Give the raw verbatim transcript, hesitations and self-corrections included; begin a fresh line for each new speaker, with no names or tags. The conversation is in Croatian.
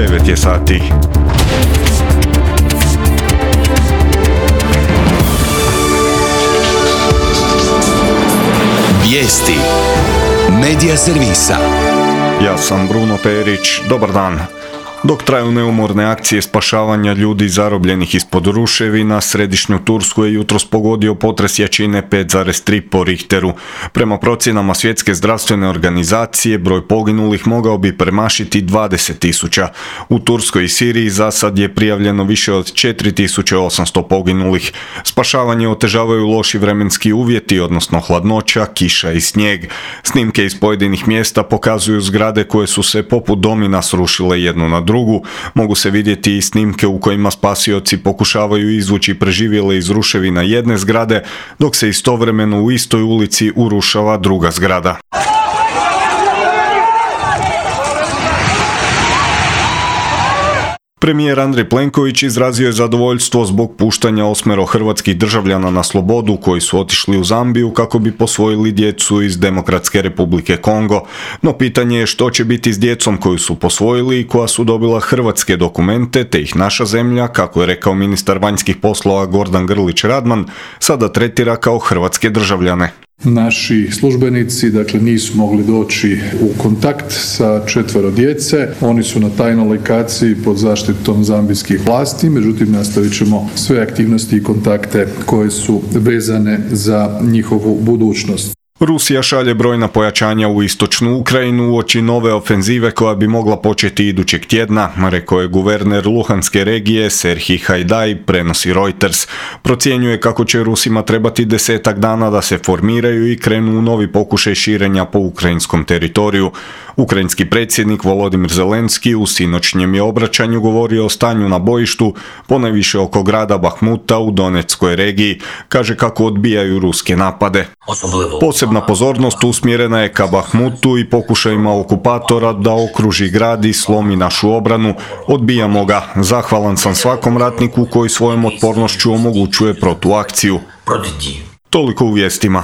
devet je sati.
Vijesti Medija servisa.
Ja sam Bruno Perić, dobar dan. Dok traju neumorne akcije spašavanja ljudi zarobljenih ispod ruševina, središnju Tursku je jutros pogodio potres jačine pet zarez tri po Richteru. Prema procjenama Svjetske zdravstvene organizacije, broj poginulih mogao bi premašiti dvadeset tisuća. U Turskoj i Siriji za sad je prijavljeno više od četiri tisuće osamsto poginulih. Spašavanje otežavaju loši vremenski uvjeti, odnosno hladnoća, kiša i snijeg. Snimke iz pojedinih mjesta pokazuju zgrade koje su se poput domina srušile jednu na drugu. Mogu se vidjeti i snimke u kojima spasioci pokušavaju izvući preživjele iz ruševina jedne zgrade, dok se istovremeno u istoj ulici urušava druga zgrada. Premijer Andrej Plenković izrazio je zadovoljstvo zbog puštanja osmero hrvatskih državljana na slobodu koji su otišli u Zambiju kako bi posvojili djecu iz Demokratske Republike Kongo. No pitanje je što će biti s djecom koju su posvojili i koja su dobila hrvatske dokumente, te ih naša zemlja, kako je rekao ministar vanjskih poslova Gordan Grlić Radman, sada tretira kao hrvatske državljane.
Naši službenici, dakle, nisu mogli doći u kontakt sa četvero djece. Oni su na tajnoj lokaciji pod zaštitom zambijskih vlasti, međutim nastavit ćemo sve aktivnosti i kontakte koje su vezane za njihovu budućnost.
Rusija šalje brojna pojačanja u istočnu Ukrajinu uoči nove ofenzive koja bi mogla početi idućeg tjedna, rekao je guverner Luhanske regije Serhij Hajdaj, prenosi Reuters. Procjenjuje kako će Rusima trebati desetak dana da se formiraju i krenu u novi pokušaj širenja po ukrajinskom teritoriju. Ukrajinski predsjednik Volodimir Zelenski u sinoćnjem je obraćanju govorio o stanju na bojištu, ponajviše oko grada Bahmuta u Donetskoj regiji. Kaže kako odbijaju ruske napade. Posebna pozornost usmjerena je ka Bahmutu i pokušajima okupatora da okruži grad i slomi našu obranu. Odbijamo ga. Zahvalan sam svakom ratniku koji svojom otpornošću omogućuje protuakciju. Toliko u vijestima.